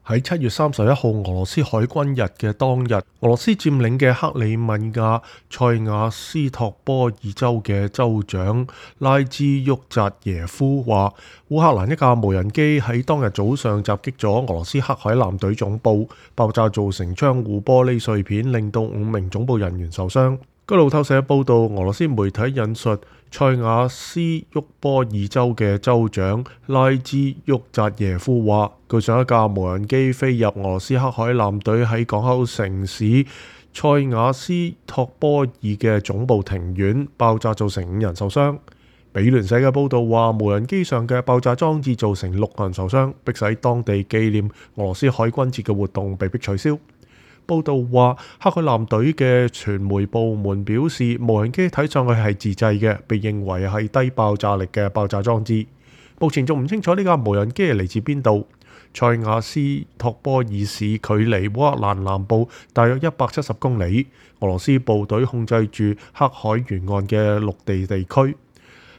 喺7月31號俄羅斯海軍日嘅當日，俄羅斯佔領嘅克里米亞塞瓦斯托波爾州嘅州長拉茲沃扎耶夫話，烏克蘭一架無人機喺當日早上襲擊咗俄羅斯黑海艦隊總部，爆炸造成窗戶玻璃碎片，令到5名總部人員受傷。據路透社報道，俄羅斯媒體引述塞瓦斯沃波爾州嘅州長拉茲沃扎耶夫話，據上一架無人機飛入俄羅斯黑海艦隊喺港口城市塞瓦斯托波爾嘅總部庭院，爆炸造成5人受傷。美聯社嘅報道話，無人機上嘅爆炸裝置造成6人受傷，迫使當地紀念俄羅斯海軍節嘅活動被迫取消。報道話，黑海艦隊嘅傳媒部門表示，無人機睇上去係自製嘅，被認為係低爆炸力嘅爆炸裝置。目前仲唔清楚呢架無人機係嚟自邊度。塞瓦斯托波爾市距離烏克蘭南部大約170公里，俄羅斯部隊控制住黑海沿岸嘅陸地地區。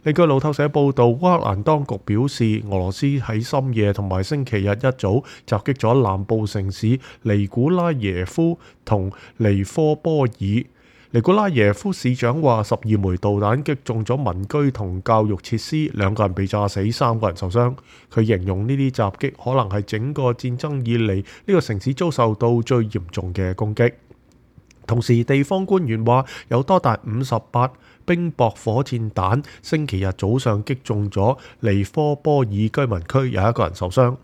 另據路透社報導，烏克蘭當局表示，俄羅斯喺深夜同埋星期日一早襲擊咗南部城市尼古拉耶夫同尼科波爾。尼古拉耶夫市長話，12枚導彈擊中咗民居同教育設施，2個人被炸死，3個人受傷。佢形容呢啲襲擊可能係整個戰爭以嚟呢個城市遭受到最嚴重嘅攻擊。同時，地方官員話有多達58冰雹火箭彈星期日早上擊中咗尼科波爾居民區，有1個人受傷。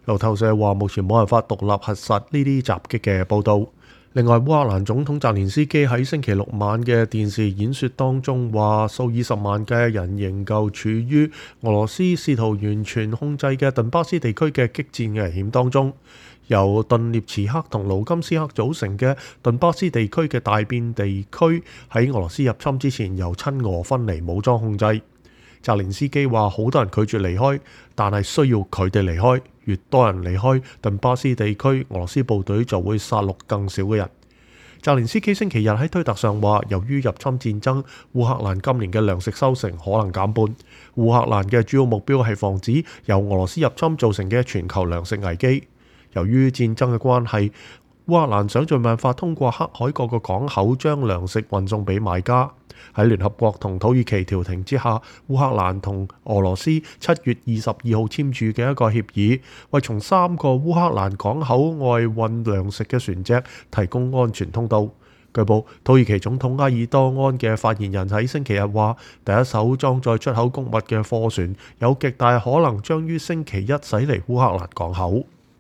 路透社話目前冇辦法獨立核實呢啲襲擊嘅報導。另外，烏克蘭總統澤連斯基喺星期六晚嘅電視演說當中話，數以十萬嘅人仍舊處於俄羅斯試圖完全控制嘅頓巴斯地區嘅激戰危險當中。由頓涅茨克同盧甘斯克組成嘅頓巴斯地區嘅大片地區喺俄羅斯入侵之前由親俄分離武裝控制。澤連斯基話，好多人拒絕離開，但係需要佢哋離開。越多人離開頓巴斯地區，俄羅斯部隊就會殺戮更少嘅人。澤連斯基星期日喺推特上話，由於入侵戰爭，烏克蘭今年嘅糧食收成可能減半。烏克蘭嘅主要目標係防止由俄羅斯入侵造成嘅全球糧食危機。由於戰爭嘅關係，烏克蘭想盡辦法通過黑海各個港口將糧食運送俾買家。喺聯合國同土耳其調停之下，烏克蘭同俄羅斯7月22號簽署嘅一個協議，為從3個烏克蘭港口外運糧食嘅船隻提供安全通道。據報，土耳其總統埃爾多安嘅發言人喺星期日話，第一艘裝載出口穀物嘅貨船有極大可能將於星期一駛離烏克蘭港口。